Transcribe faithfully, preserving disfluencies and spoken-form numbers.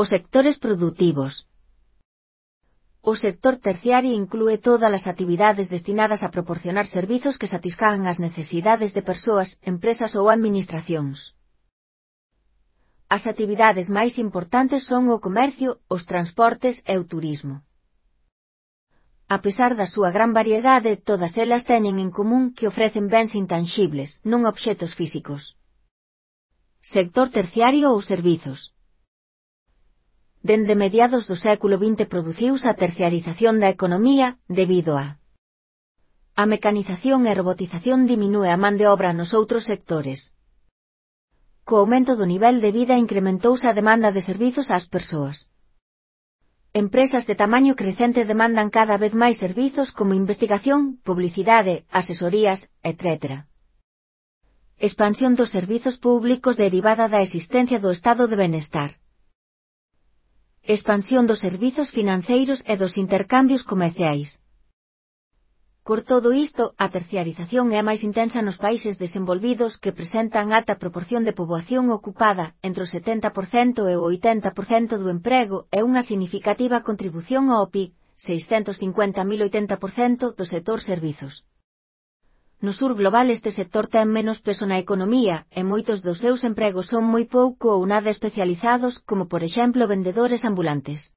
Os sectores produtivos. O sector terciario inclúe todas as actividades destinadas a proporcionar servizos que satisfagan as necesidades de persoas, empresas ou administracións. As actividades máis importantes son o comercio, os transportes e o turismo. A pesar da súa gran variedade, todas elas teñen en común que ofrecen bens intanxibles, non obxectos físicos. Sector terciario ou servizos. Dende mediados do século vinte produciuse a terciarización da economía, debido a a mecanización e robotización diminúe a man de obra nos outros sectores. Co aumento do nivel de vida incrementouse a demanda de servizos ás persoas. Empresas de tamaño crecente demandan cada vez máis servizos como investigación, publicidade, asesorías, etcétera. Expansión dos servizos públicos derivada da existencia do estado de benestar. Expansión dos servizos financeiros e dos intercambios comerciais. Por todo isto, a terciarización é máis intensa nos países desenvolvidos que presentan alta proporción de poboación ocupada, entre o setenta por cento e o oitenta por cento do emprego, e unha significativa contribución ao P I B, seiscentos cincuenta mil oitenta por cento do sector servizos. No sur global este sector ten menos peso na economía, e moitos dos seus empregos son moi pouco ou nada especializados, como por exemplo vendedores ambulantes.